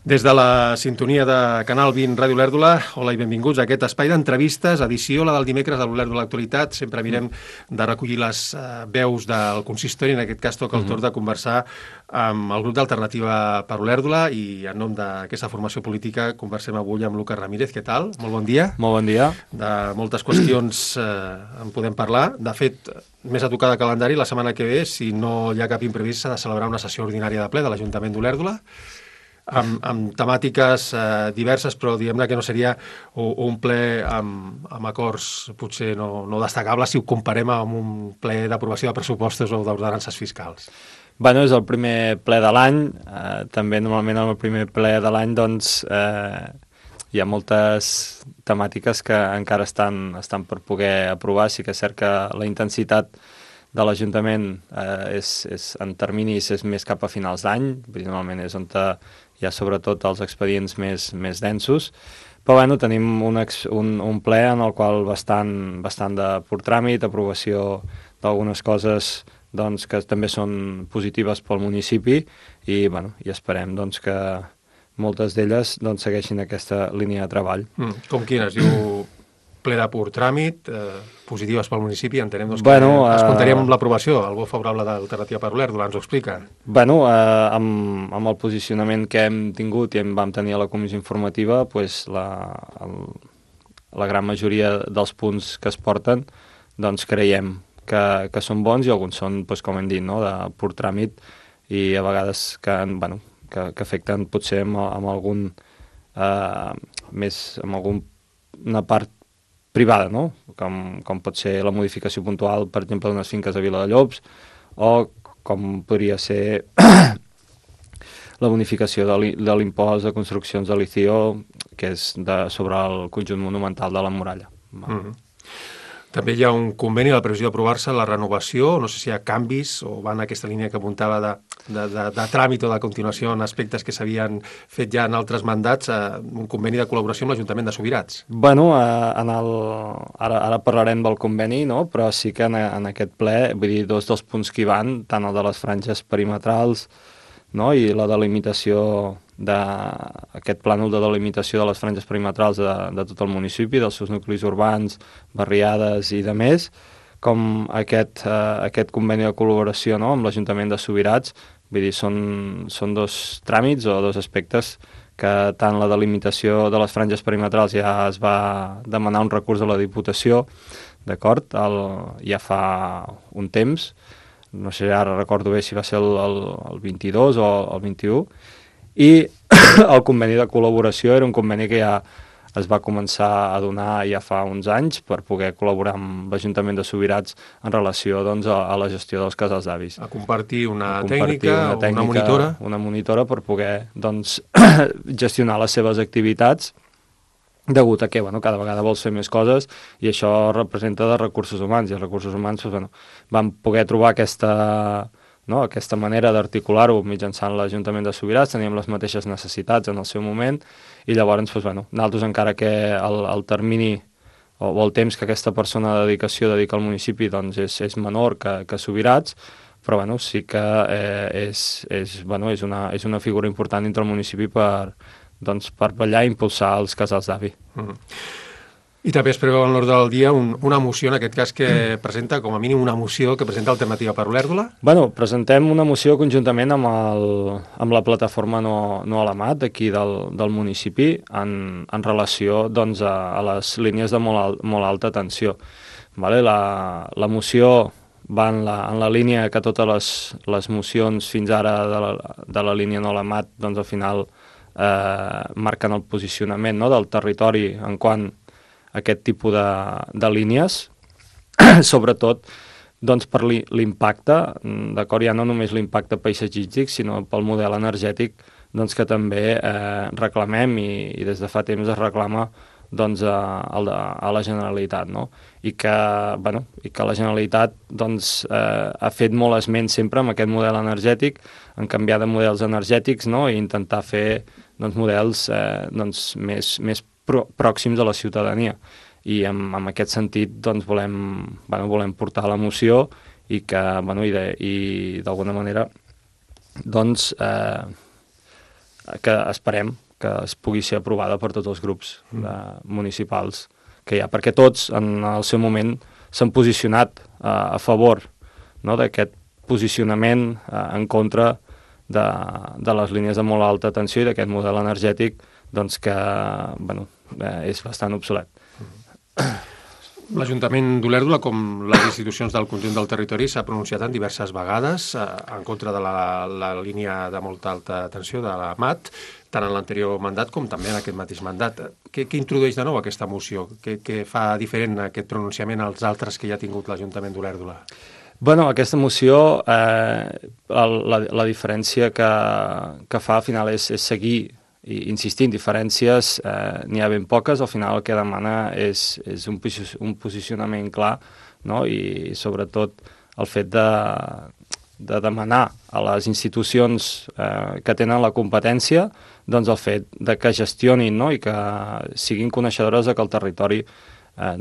Des de la sintonia de Canal 20 Ràdio Olèrdola, hola i benvinguts a aquest espai d'entrevistes, edició la del dimecres de l'Olèrdola Actualitat. Sempre mirem de recollir les veus del consistori, en aquest cas toca el torn de conversar amb el grup d'Alternativa per Olèrdola i en nom d'aquesta formació política conversem avui amb Lucas Ramírez. Què tal? Molt bon dia. Molt bon dia. De moltes qüestions en podem parlar. De fet, més a tocar de calendari, la setmana que ve, si no hi ha cap imprevist, s'ha de celebrar una sessió ordinària de ple de l'Ajuntament d'Olèrdola, amb temàtiques diverses, però diguem-ne que no seria un ple amb acords potser no destacables si ho comparem amb un ple d'aprovació de pressupostos o d'ordenances fiscals. Bueno, és el primer ple de l'any. També normalment en el primer ple de l'any doncs, hi ha moltes temàtiques que encara estan per poder aprovar. Sí que és cert que la intensitat de l'Ajuntament en terminis és més cap a finals d'any, normalment és on hi ha sobretot els expedients més densos, però bueno, tenim un ple en el qual bastant de pur tràmit, aprovació d'algunes coses doncs, que també són positives pel municipi i esperem doncs, que moltes d'elles doncs, segueixin aquesta línia de treball. Com quines? Diu ple de pur tràmit, positives pel municipi, entenem doncs, que es comptaríem amb l'aprovació, el vot favorable d'Alternativa per Olèrdola, ens ho explica? Amb el posicionament que hem tingut i vam tenir a la comissió informativa, pues, la gran majoria dels punts que es porten doncs, creiem que són bons i alguns són, doncs, com hem dit, no? De pur tràmit i a vegades que afecten potser amb algun una part privada, no? Com pot ser la modificació puntual, per exemple, d'unes finques a Viladellobs, o com podria ser la bonificació de l'impost de construccions de l'ICIO, que és sobre el conjunt monumental de la muralla. També hi ha un conveni, la previsió d'aprovar-se, la renovació, no sé si hi ha canvis o va en aquesta línia que apuntava de tràmit o de continuació en aspectes que s'havien fet ja en altres mandats, un conveni de col·laboració amb l'Ajuntament de Subirats. Bueno, ara parlarem del conveni, no? Però sí que en aquest ple, vull dir, dos dels punts que hi van, tant el de les franges perimetrals, no? I la delimitació aquest plànol de delimitació de les franges perimetrals de tot el municipi, dels seus nuclis urbans, barriades i de més, com aquest conveni de col·laboració, no? Amb l'Ajuntament de Subirats. Vull dir, són dos tràmits o dos aspectes que tant la delimitació de les franges perimetrals ja es va demanar un recurs a la Diputació, d'acord? Ja fa un temps, no sé, ara recordo bé si va ser el 22 o el 21, i el conveni de col·laboració era un conveni que ja es va començar a donar ja fa uns anys per poder col·laborar amb l'Ajuntament de Subirats en relació doncs, a la gestió dels casals d'avis. A compartir una tècnica, una monitora. Una monitora per poder doncs, gestionar les seves activitats, degut a que cada vegada vols fer més coses i això representa de recursos humans, i els recursos humans van poder trobar aquesta manera d'articular-ho mitjançant l'Ajuntament de Subirats. Teníem les mateixes necessitats en el seu moment i llavors nosaltres, encara que el termini o el temps que aquesta persona de dedicació dedica al municipi doncs és menor que Subirats, però sí que és una figura important dintre el municipi per vetllar i impulsar els casals d'avi. I també es preveu en l'ordre del dia una moció, en aquest cas, que presenta, com a mínim, una moció que presenta Alternativa per Olèrdola? Presentem una moció conjuntament amb la plataforma No a la Mat, d'aquí del municipi, en relació doncs, a les línies de molt alta tensió. La moció va en la línia que totes les mocions fins ara de la línia No a la Mat, doncs al final marquen el posicionament del territori en quant aquest tipus de línies, sobretot doncs, per l'impacte, d'acord, ja no només l'impacte paisatgístic, sinó pel model energètic doncs, que també reclamem i des de fa temps es reclama doncs, a la Generalitat, no? I que la Generalitat doncs, ha fet molt esment sempre amb aquest model energètic, en canviar de models energètics, no? I intentar fer doncs, models més pròxims a la ciutadania. I en aquest sentit doncs, volem portar la moció i que i d'alguna manera doncs, que esperem que es pugui ser aprovada per tots els grups municipals que hi ha, perquè tots en el seu moment s'han posicionat a favor, no?, d'aquest posicionament en contra de les línies de molt alta tensió i d'aquest model energètic doncs, que és bastant obsolet. L'Ajuntament d'Olèrdola, com les institucions del conjunt del territori, s'ha pronunciat en diverses vegades en contra de la línia de molta alta tensió de la MAT, tant en l'anterior mandat com també en aquest mateix mandat. Què introdueix de nou aquesta moció? Què fa diferent aquest pronunciament als altres que ja ha tingut l'Ajuntament d'Olèrdola? Aquesta moció, la diferència que fa al final és seguir i insistir en diferències, n'hi ha ben poques, al final el que demana és un posicionament clar, no?, i sobretot el fet de demanar a les institucions que tenen la competència doncs el fet de que gestionin, no?, i que siguin coneixedores de que el territori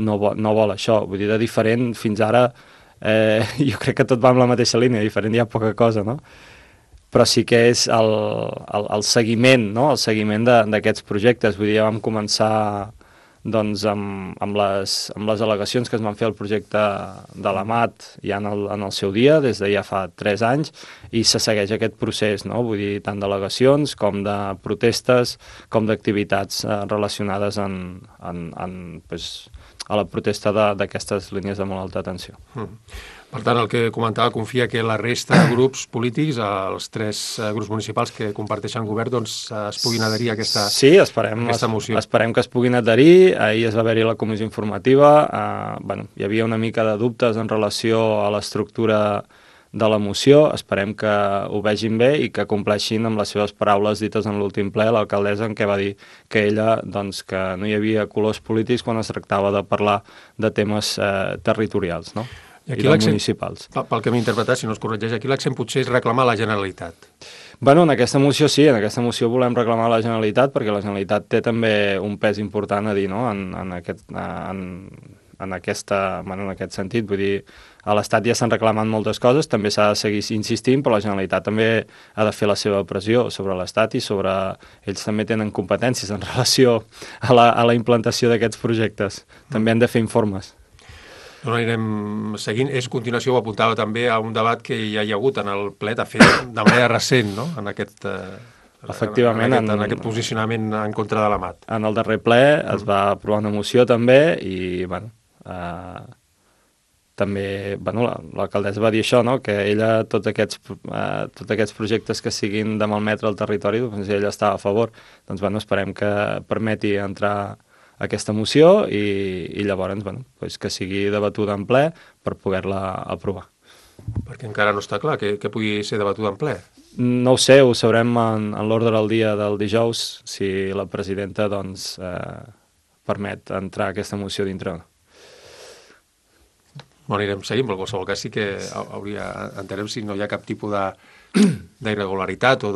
no vol això. Vull dir, de diferent fins ara jo crec que tot va amb la mateixa línia, diferent hi ha poca cosa, no? Però sí que és el seguiment, no?, el seguiment d'aquests projectes. Vull dir, ja vam començar doncs, amb les al·legacions que es van fer al projecte de la MAT ja en el seu dia, des de ja fa 3 anys, i se segueix aquest procés, no?, vull dir, tant d'al·legacions com de protestes, com d'activitats relacionades a la protesta d'aquestes línies de molt alta tensió. Per tant, el que comentava, confia que la resta de grups polítics, els 3 grups municipals que comparteixen govern, doncs es puguin adherir a aquesta moció. Sí, esperem que es puguin adherir. Ahir es va haver-hi la comissió informativa. Hi havia una mica de dubtes en relació a l'estructura de la moció. Esperem que ho vegin bé i que compleixin amb les seves paraules dites en l'últim ple, l'alcaldessa, en què va dir que ella, doncs, que no hi havia colors polítics quan es tractava de parlar de temes territorials, no?, i municipals. Pel que m'he interpretat, si no es corregeix, aquí l'accent potser és reclamar la Generalitat. En aquesta moció sí, en aquesta moció volem reclamar la Generalitat perquè la Generalitat té també un pes important a dir, no?, en aquest sentit. Vull dir, a l'Estat ja s'han reclamat moltes coses, també s'ha de seguir insistint, però la Generalitat també ha de fer la seva pressió sobre l'Estat i sobre... Ells també tenen competències en relació a la implantació d'aquests projectes. També han de fer informes. No anirem seguint. És continuació, ho apuntava també, a un debat que ja hi ha hagut en el ple, de fet, de manera recent, no?, en aquest... Efectivament, en aquest posicionament en contra de la MAT. En el darrer ple es va aprovar una moció també i, també, l'alcaldessa va dir això, no?, que ella, tots aquests projectes que siguin de malmetre el territori, doncs ella estava a favor. Doncs, esperem que permeti entrar aquesta moció i llavors que sigui debatuda en ple per poder-la aprovar. Perquè encara no està clar que pugui ser debatuda en ple. No ho sé, ho sabrem en l'ordre del dia del dijous, si la presidenta permet entrar aquesta moció dintre. Anirem seguint, però en qualsevol cas sí que entenem si no hi ha cap tipus d'irregularitat o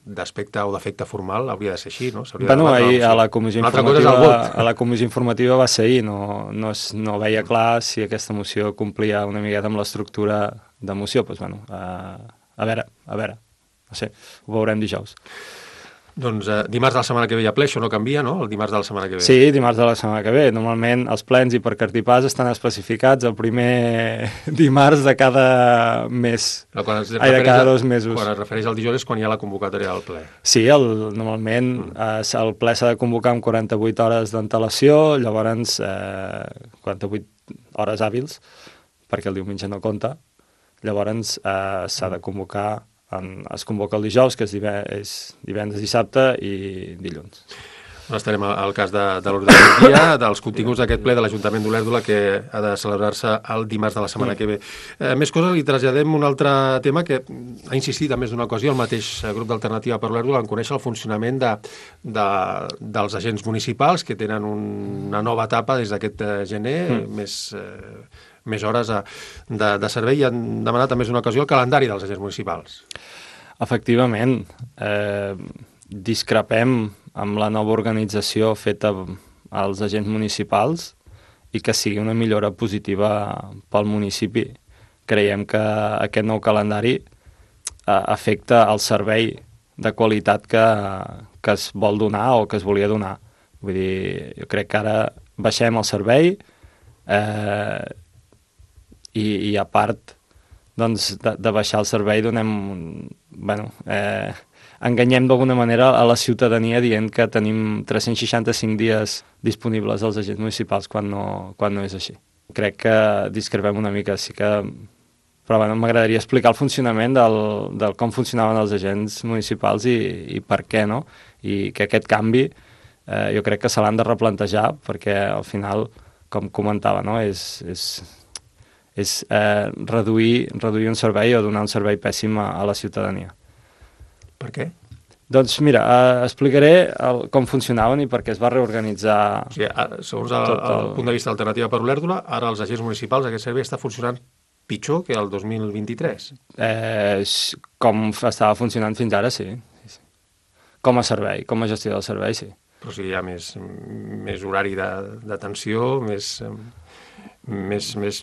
d'aspecte o d'efecte formal, hauria de ser així, no? Ahir a la comissió informativa va ser ahir, no veia clar si aquesta moció complia una miqueta amb l'estructura de moció, doncs a veure, no sé, ho veurem dijous. Doncs dimarts de la setmana que ve hi ha ple, això no canvia, no? El dimarts de la setmana que ve. Sí, dimarts de la setmana que ve. Normalment els plens i per cartipàs estan especificats el primer dimarts de cada mes. De cada 2 mesos. Quan es refereix al dijous és quan hi ha la convocatòria del ple. Sí, normalment el ple s'ha de convocar amb 48 hores d'antelació, llavors 48 hores hàbils, perquè el diumenge no compta, llavors s'ha de convocar. Es convoca el dijous, que és divendres, dissabte i dilluns. Estarem al cas de l'ordre del dia, dels continguts d'aquest ple de l'Ajuntament d'Olèrdola que ha de celebrar-se el dimarts de la setmana que ve. Més coses, li traslladem un altre tema que ha insistit en més d'una ocasió el mateix grup d'Alternativa per Olèrdola en conèixer el funcionament dels agents municipals que tenen una nova etapa des d'aquest gener, més hores de servei, i han demanat en més d'una ocasió el calendari dels agents municipals. Efectivament, discrepem amb la nova organització feta als agents municipals i que sigui una millora positiva pel municipi. Creiem que aquest nou calendari afecta el servei de qualitat que es vol donar o que es volia donar. Vull dir, jo crec que ara baixem el servei i a part doncs, de baixar el servei enganyem d'alguna manera a la ciutadania dient que tenim 365 dies disponibles als agents municipals quan no és així. Crec que discrepem una mica, sí que... Però m'agradaria explicar el funcionament del com funcionaven els agents municipals i per què, no? I que aquest canvi jo crec que se l'han de replantejar perquè al final, com comentava, no? és reduir un servei o donar un servei pèssim a la ciutadania. Per què? Doncs mira, explicaré com funcionaven i per què es va reorganitzar... O sigui, segons el punt de vista d'Alternativa per Olèrdola, ara els agents municipals, aquest servei està funcionant pitjor que el 2023. Com estava funcionant fins ara, sí. Com a servei, com a gestió del servei, sí. Però si hi ha més horari d'atenció, més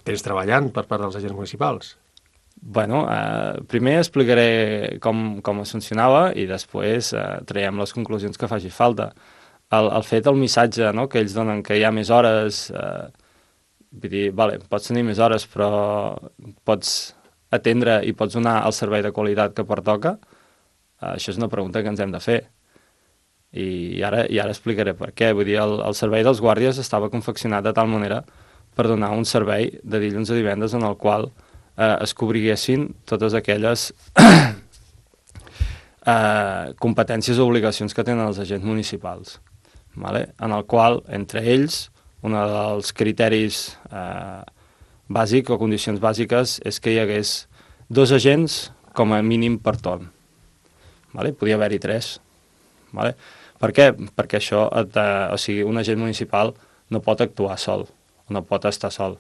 temps treballant per part dels agents municipals. Bueno, primer explicaré com es funcionava i després traiem les conclusions que faci falta. El missatge, no?, que ells donen, que hi ha més hores... Vull dir, pots tenir més hores, però pots atendre i pots donar el servei de qualitat que pertoca? Això és una pregunta que ens hem de fer. I ara explicaré per què. Vull dir, el servei dels guàrdies estava confeccionat de tal manera per donar un servei de dilluns a divendres en el qual es cobriguessin totes aquelles competències o obligacions que tenen els agents municipals, vale? En el qual, entre ells, un dels criteris bàsics o condicions bàsiques és que hi hagués 2 agents com a mínim per torn. Vale? Podia haver-hi 3. Vale? Per què? Perquè això, un agent municipal no pot actuar sol, no pot estar sol.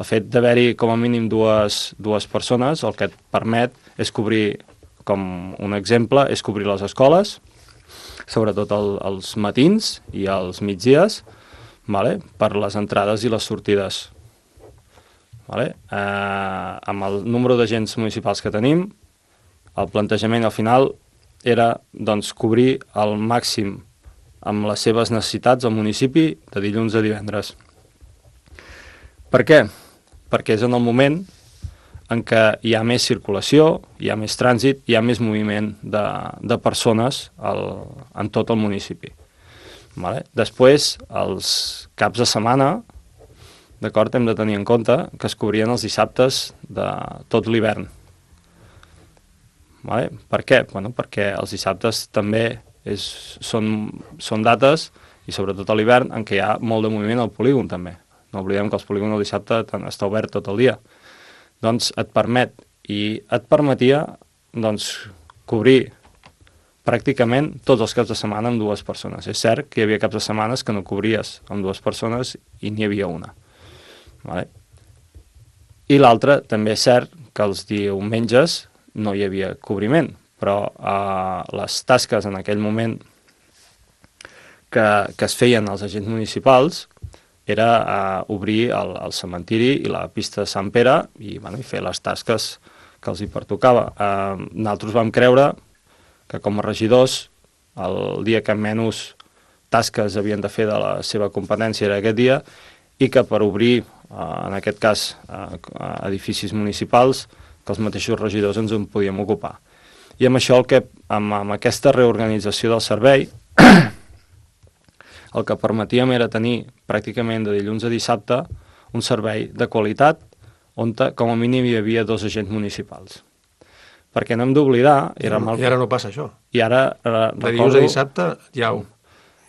El fet d'haver-hi com a mínim dues persones el que et permet és cobrir, com un exemple, és cobrir les escoles, sobretot els matins i els migdies, vale? Per les entrades i les sortides. Vale? Amb el número d'agents municipals que tenim, el plantejament al final era doncs, cobrir al màxim amb les seves necessitats al municipi de dilluns a divendres. Per què? Perquè és en el moment en què hi ha més circulació, hi ha més trànsit, hi ha més moviment de persones en tot el municipi. Vale? Després, els caps de setmana, d'acord, hem de tenir en compte que es cobrien els dissabtes de tot l'hivern. Vale? Per què? Bueno, perquè els dissabtes també són dates, i sobretot a l'hivern, en què hi ha molt de moviment al polígon també. No oblidem que el polígon el dissabte està obert tot el dia. Doncs et permetia cobrir pràcticament tots els caps de setmana amb 2 persones. És cert que hi havia caps de setmanes que no cobries amb 2 persones i n'hi havia una. Vale? I l'altre, també és cert que els diumenges no hi havia cobriment, però les tasques en aquell moment que es feien als agents municipals era obrir el cementiri i la pista de Sant Pere i fer les tasques que els hi pertocava. Nosaltres vam creure que com a regidors el dia que menys tasques havien de fer de la seva competència era aquest dia i que per obrir, en aquest cas, edificis municipals, que els mateixos regidors ens en podíem ocupar. I amb això, amb aquesta reorganització del servei, el que permetíem era tenir pràcticament de dilluns a dissabte un servei de qualitat on com a mínim hi havia 2 agents municipals. Perquè no hem d'oblidar... I ara no passa això. I ara de dilluns a dissabte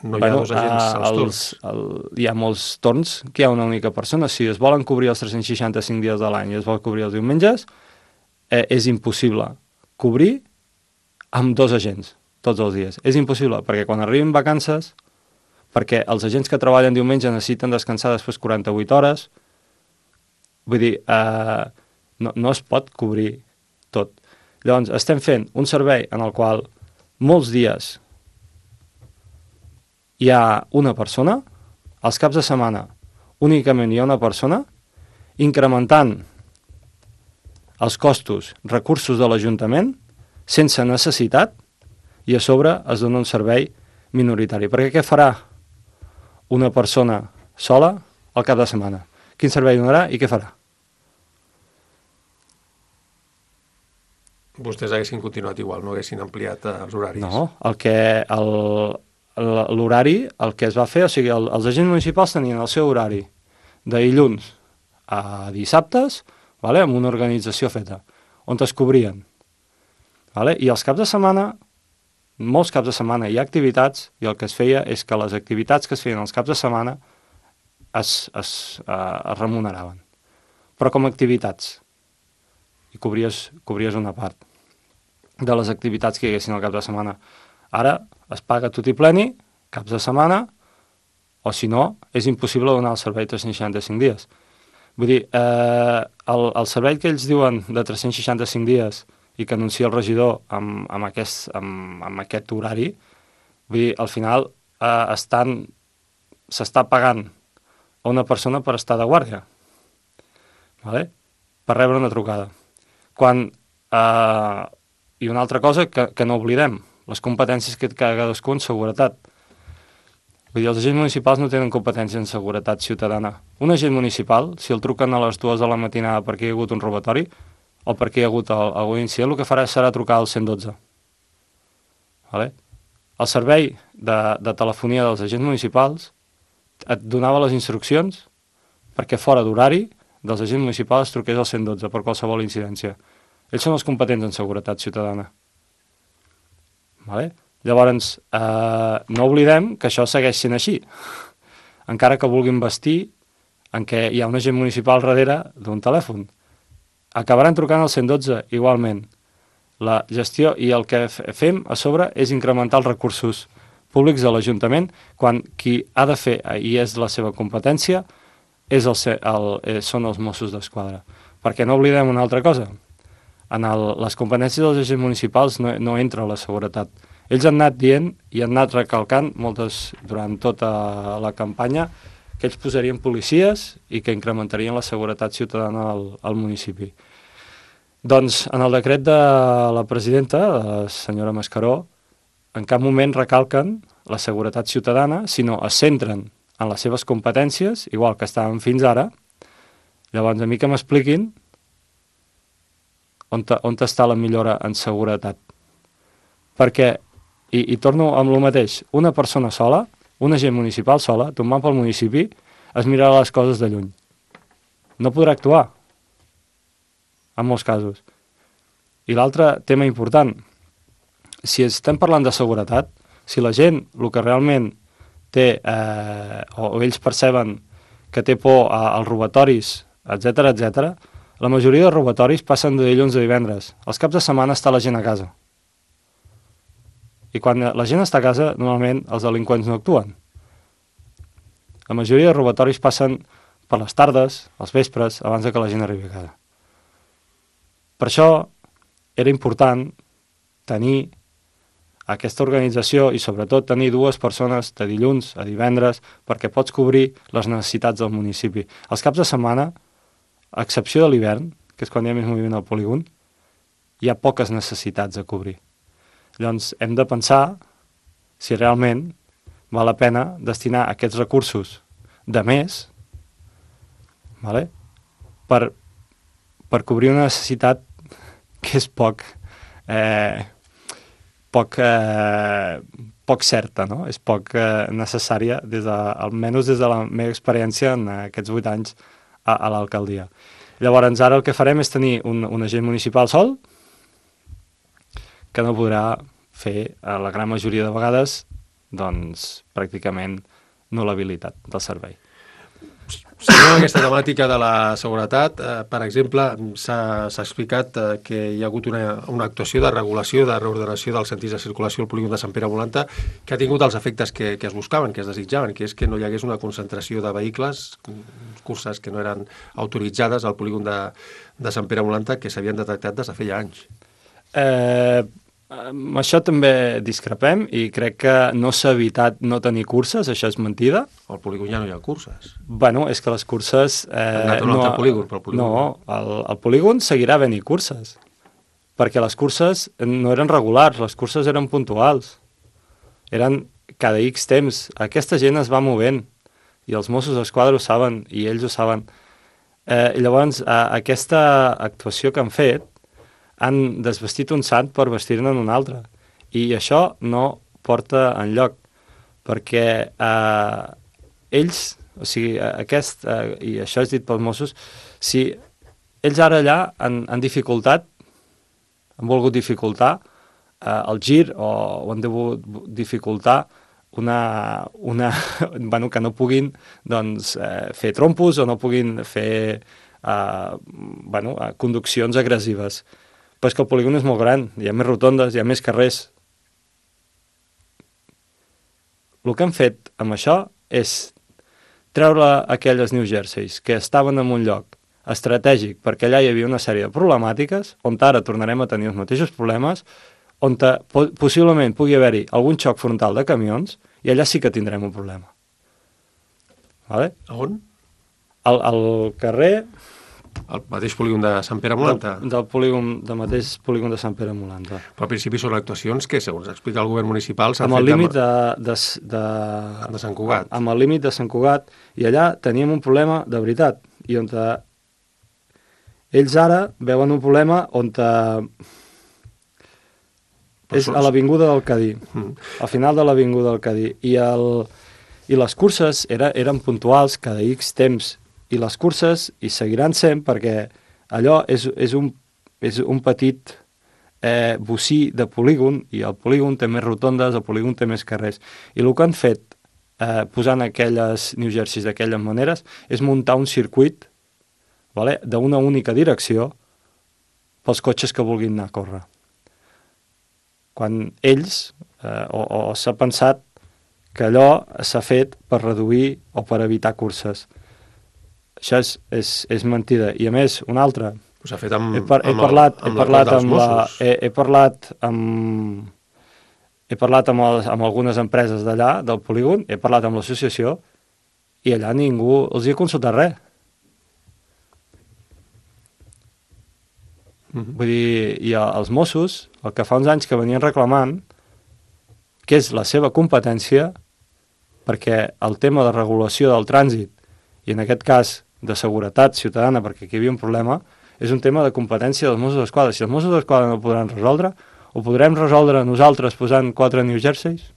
no hi ha 2 agents als torns. Hi ha molts torns que hi ha una única persona. Si es volen cobrir els 365 dies de l'any i es vol cobrir els diumenges, és impossible cobrir amb 2 agents tots els dies. És impossible, perquè quan arribin vacances, perquè els agents que treballen diumenge necessiten descansar després 48 hores, vull dir, no es pot cobrir tot. Llavors, estem fent un servei en el qual molts dies hi ha una persona, als caps de setmana únicament hi ha una persona, incrementant els costos, recursos de l'Ajuntament, sense necessitat, i a sobre es dona un servei minoritari. Perquè què farà una persona sola al cap de setmana? Quin servei donarà i què farà? Vostès haguessin continuat igual, no haguessin ampliat els horaris. No, l'horari, el que es va fer, o sigui, els agents municipals tenien el seu horari de dilluns a dissabtes, vale, amb una organització feta, on es cobrien. Vale? I els caps de setmana, molts caps de setmana hi ha activitats, i el que es feia és que les activitats que es feien els caps de setmana es remuneraven. Però com a activitats. I cobries una part de les activitats que hi haguessin al cap de setmana. Ara es paga tot i pleni, caps de setmana, o si no, és impossible donar el servei 365 dies. Vull dir, el servei que ells diuen de 365 dies i que anuncia el regidor amb aquest horari, vull dir, al final s'està pagant a una persona per estar de guàrdia, vale? Per rebre una trucada. I una altra cosa que no oblidem, les competències que té cadascú en seguretat. Vull dir, els agents municipals no tenen competència en seguretat ciutadana. Un agent municipal, si el truquen a les 2 de la matinada perquè hi ha hagut un robatori o perquè hi ha hagut algun incident, el que farà serà trucar al 112. Vale? El servei de telefonia dels agents municipals et donava les instruccions perquè fora d'horari dels agents municipals truqués al 112 per qualsevol incidència. Ells són els competents en seguretat ciutadana. Vale? Llavors, no oblidem que això segueix sent així. Encara que vulguin vestir en què hi ha un agent municipal darrere d'un telèfon. Acabaran trucant al 112 igualment. La gestió i el que fem a sobre és incrementar els recursos públics de l'Ajuntament quan qui ha de fer, i és la seva competència, són els Mossos d'Esquadra. Perquè no oblidem una altra cosa. En les competències dels agents municipals no entra la seguretat. Ells han anat dient i han anat recalcant durant tota la campanya que ells posarien policies i que incrementarien la seguretat ciutadana al municipi. Doncs en el decret de la presidenta, la senyora Mascaró, en cap moment recalquen la seguretat ciutadana, sinó es centren en les seves competències, igual que estàvem fins ara. Llavors, a mi que m'expliquin on està la millora en seguretat. Perquè, i torno amb el mateix, una persona sola, un agent municipal sola, tombant pel municipi, es mirarà les coses de lluny. No podrà actuar, en molts casos. I l'altre tema important, si estem parlant de seguretat, si la gent, el que realment té, o ells perceben que té por als robatoris, etc., la majoria de robatoris passen de dilluns a divendres. Els caps de setmana està la gent a casa. I quan la gent està a casa, normalment els delinqüents no actuen. La majoria de robatoris passen per les tardes, als vespres, abans que la gent arribi a casa. Per això era important tenir aquesta organització i sobretot tenir 2 persones de dilluns a divendres perquè pots cobrir les necessitats del municipi. Els caps de setmana, a excepció de l'hivern, que és quan hi ha més moviment al polígon, hi ha poques necessitats a cobrir. Llavors hem de pensar si realment val la pena destinar aquests recursos de més, vale? per cobrir una necessitat que és poc certa, no? És poc necessària, almenys des de la meva experiència en aquests 8 anys a l'alcaldia. Llavors, ara el que farem és tenir un agent municipal sol que no podrà fer, la gran majoria de vegades, doncs, pràcticament nul·labilitat del servei. Seguint aquesta temàtica de la seguretat, per exemple, s'ha explicat que hi ha hagut una actuació de regulació, de reordenació dels sentits de circulació al polígon de Sant Pere Volanta que ha tingut els efectes que es buscaven, que es desitjaven, que és que no hi hagués una concentració de vehicles, curses que no eren autoritzades al polígon de Sant Pere Volanta que s'havien detectat des de feia anys. Amb això també discrepem i crec que no s'ha evitat no tenir curses, això és mentida. Al polígon ja no hi ha curses. Bueno, és que les curses... Han anat a un altre polígon, però el polígon... No, al polígon seguirà havent-hi curses. perquè les curses no eren regulars, les curses eren puntuals. Eren cada X temps. Aquesta gent es va movent i els Mossos d'Esquadra ho saben i ells ho saben. Llavors, aquesta actuació que han fet han desvestit un sant per vestir-ne un altre. I això no porta enlloc, perquè ells, o sigui, i això és dit pels Mossos, si ells ara allà han dificultat, han volgut dificultar el gir o han degut dificultar bueno, que no puguin doncs, fer trompos o no puguin fer bueno, conduccions agressives. Però és que el polígon és molt gran, hi ha més rotondes, hi ha més carrers. El que han fet amb això és treure aquelles New Jerseys que estaven en un lloc estratègic perquè allà hi havia una sèrie de problemàtiques, on ara tornarem a tenir els mateixos problemes, on possiblement pugui haver-hi algun xoc frontal de camions, i allà sí que tindrem un problema. Vale? On? Al carrer... El mateix polígon de Sant Pere Molanta? Del mateix polígon de Sant Pere Molanta. Però al principi són actuacions que, segons explica el govern municipal, s'han fet... Amb el límit de Sant Cugat. Amb el límit de Sant Cugat, i allà teníem un problema de veritat, i on ells ara veuen un problema on és a l'avinguda del Cadí, al final de l'avinguda del Cadí, i les curses eren puntuals cada X temps, i les curses hi seguiran sent perquè allò és un petit bocí de polígon, i el polígon té més rotondes, el polígon té més carrers, i el que han fet posant aquelles New Jerseys d'aquelles maneres és muntar un circuit, vale, d'una única direcció pels cotxes que vulguin anar a córrer. Quan ells, o s'ha pensat que allò s'ha fet per reduir o per evitar curses. Això és mentida. I a més, una altra... S'ha fet amb algunes empreses d'allà, del polígon, he parlat amb l'associació, i allà ningú els hi ha consultat res. Vull dir, i els Mossos, el que fa uns anys que venien reclamant, que és la seva competència, perquè el tema de regulació del trànsit, i en aquest cas de seguretat ciutadana, perquè aquí hi havia un problema, és un tema de competència dels Mossos d'Esquadra. Si els Mossos d'Esquadra no ho podran resoldre, ho podrem resoldre nosaltres posant 4 New Jerseys?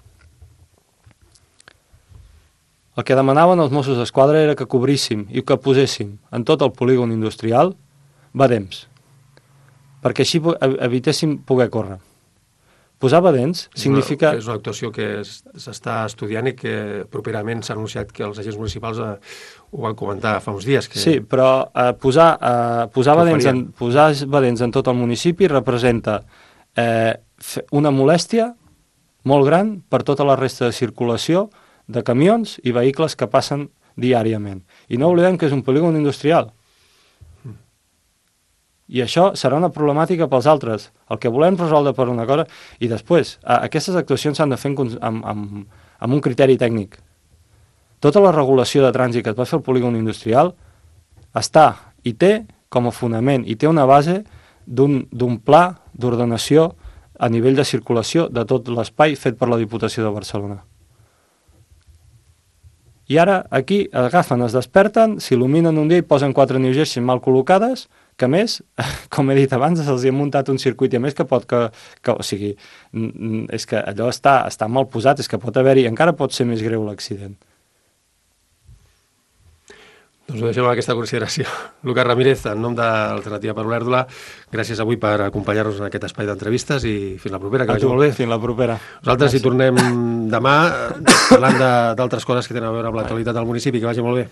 El que demanaven els Mossos d'Esquadra era que cobríssim i que poséssim en tot el polígon industrial badems, perquè així evitéssim poder córrer. Posar badents significa... És una actuació que s'està estudiant i que properament s'ha anunciat que els agents municipals ho van comentar fa uns dies. Que... Sí, però posar badents en tot el municipi representa una molèstia molt gran per tota la resta de circulació de camions i vehicles que passen diàriament. I no oblidem que és un polígon industrial. I això serà una problemàtica pels altres. El que volem resoldre per una cosa... I després, aquestes actuacions s'han de fer amb un criteri tècnic. Tota la regulació de trànsit que es va fer al polígon industrial està i té com a fonament i té una base d'un pla d'ordenació a nivell de circulació de tot l'espai fet per la Diputació de Barcelona. I ara aquí agafen, es desperten, s'il·luminen un dia i posen 4 New Jerseys mal col·locades, que a més, com he dit abans, se'ls ha muntat un circuit, i a més que pot o sigui, és que allò està mal posat, és que pot haver-hi, encara pot ser més greu l'accident. Doncs ho deixem amb aquesta consideració. Lucas Ramírez, en nom de l'Alternativa per Olèrdola, gràcies avui per acompanyar-nos en aquest espai d'entrevistes i fins la propera, que vagi molt bé. Fins la propera. Nosaltres hi tornem demà parlant d'altres coses que tenen a veure amb l'actualitat del municipi, que vagi molt bé.